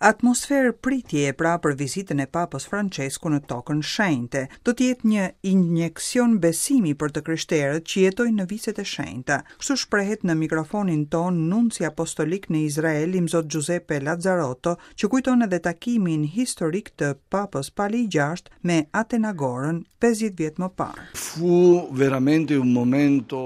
Atmosferë pritjeje pra për vizitën e Papës Françesku në Tokën Shenjte. Do të jetë një injeksion besimi për të krishterët që jetojnë në viset e shenjta. Kështu shprehet në mikrofonin tonë nunci apostolik në Izrael, Imzot Giuseppe Lazzarotto, që kujton edhe takimin historik të Papës Pali i Gjashtë me Atenagorën 50 vjet më parë. Fu veramente un momento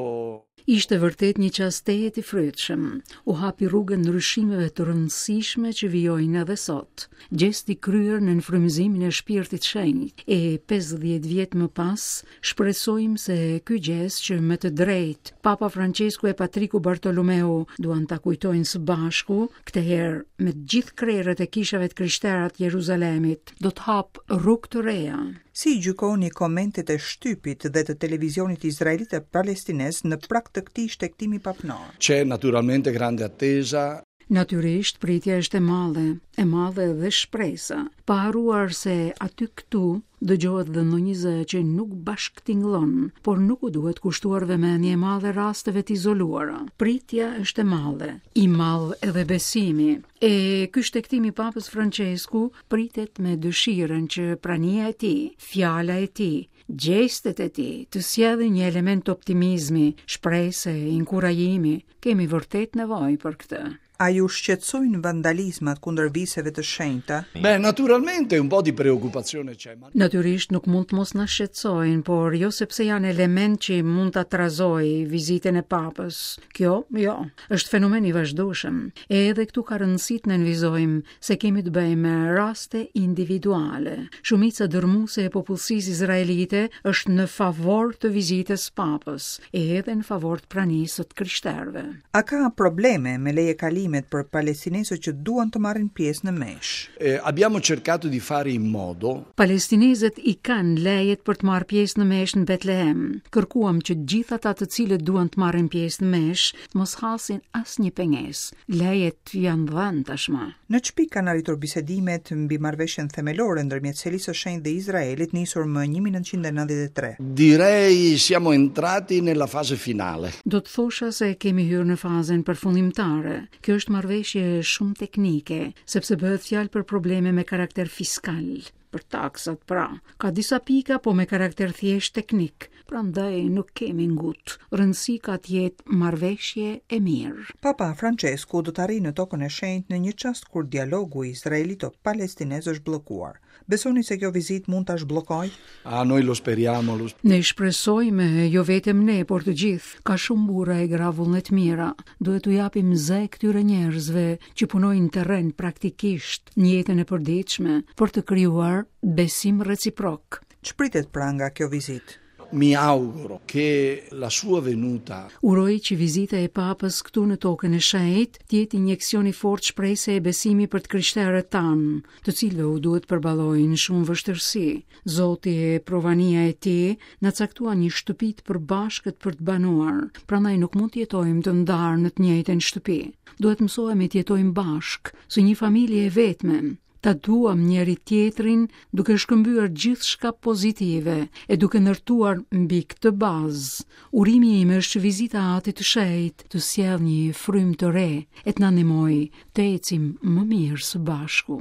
Ishte vërtet një çast tejet i frytshëm. U hapi rrugën ndryshimeve të rëndësishme që vijojnë edhe sot. Gjest i kryer nën frymëzimin e Shpirtit Shenjt, e 50 vjet më pas, shpresojmë se ky gjest që me të drejtë Papa Françesku e Patriku Bartolomeu duan ta kujtojnë së bashku, këtë herë me të gjithë krerët e kishave të krishtera të Jeruzalemit, do të hapë rrugë të reja. Si i gjykoni komentet e shtypit dhe të televizionit izraelit e palestinez në prag të këtij shtegtimi papnor? C'è naturalmente grande attesa. Natyrisht, pritja është e madhe, e madhe edhe shpresa, pa harruar se aty këtu dëgjohet dhe ndonjë zë që nuk bashkëtingëllon, por nuk u duhet kushtuar vëmendje e madhe rasteve të izoluara. Pritja është e madhe, i madh edhe besimi. E ky shtegtim i Papës Françesku pritet me dëshirën që prania e tij, fjala e tij, gjestet e tij të sjellin një element optimizmi, shprese, inkurajimi. Kemi vërtet nevojë për këtë. A ju shqetësojnë vandalizmat kundër viseve të shenjta? Beh, naturalmente un po' di preoccupazione c'è, ma Natyrisht nuk mund të mos na shqetësojnë, por jo sepse janë element që mund ta trazojë vizitën e Papës. Kjo, jo, është fenomen i vazhdueshëm. E edhe këtu ka rëndësi të nënvizojmë se kemi të bëjmë me raste individuale. Shumica dërrmuese e popullsisë izraelite është në favor të vizitës së Papës, e edhe në favor të pranisë së të krishterëve. A ka probleme me lejekalimet për palestinezët që duan të marrin pjesë në meshë? Eh, abbiamo cercato di fare in modo Palestinezët i kanë lejet për të marrë pjesë në meshë në Betlehem. Kërkuam që të gjithë ata të cilët duan të marrin pjesë në meshë, të mos hasin asnjë pengesë. Lejet janë dhënë tashmë. Në ç'pikë kanë arritur bisedimet mbi marrëveshjen themelore ndërmjet Selisë së Shenjtë dhe Izraelit nisur më 1993? Direi siamo entrati nella fase finale. Do të thosha se kemi hyrë në fazën përfundimtare. Kjo është marrëveshje shumë teknike, sepse bëhet fjalë për probleme me karakter fiskal, për taksat pra. Ka disa pika, po me karakter thjesht teknik, prandaj nuk kemi ngut. Rëndësi ka të jetë marrëveshje e mirë. Papa Françesku do të arrijë në Tokën e Shenjtë në një çast kur dialogu izraelito-palestinez është bllokuar. Besoni se kjo vizitë mund ta zhbllokojë? Ah, noi lo speriamo, lo Ne shpresojmë, jo vetëm ne, por të gjithë. Ka shumë burra e gra vullnetmira. Duhet t'u japim zë këtyre njerëzve që punojnë në terren praktikisht në jetën e përditshme për të krijuar besim reciprok. Ç'pritet pra nga kjo vizitë? Mi auguro che la sua venuta Uroj që vizita e Papës këtu në Tokën e Shenjtë të jetë injeksion i fortë shprese e besimi për të krishterët tanë, të cilëve u duhet përballojnë shumë vështirësi. Zoti e provania e tij na caktuan një shtëpi të përbashkët për të banuar, prandaj nuk mund të jetojmë të ndarë në të njëjtën shtëpi. Duhet mësohemi të jetojmë bashkë, si një familje e vetme, ta duam njëri tjetrin duke shkëmbyer gjithçka pozitive e duke ndërtuar mbi këtë bazë. Urimi im është që vizita e Atit të Shenjtë të sjellë një frymë të re e të na ndihmojë të ecim më mirë së bashku.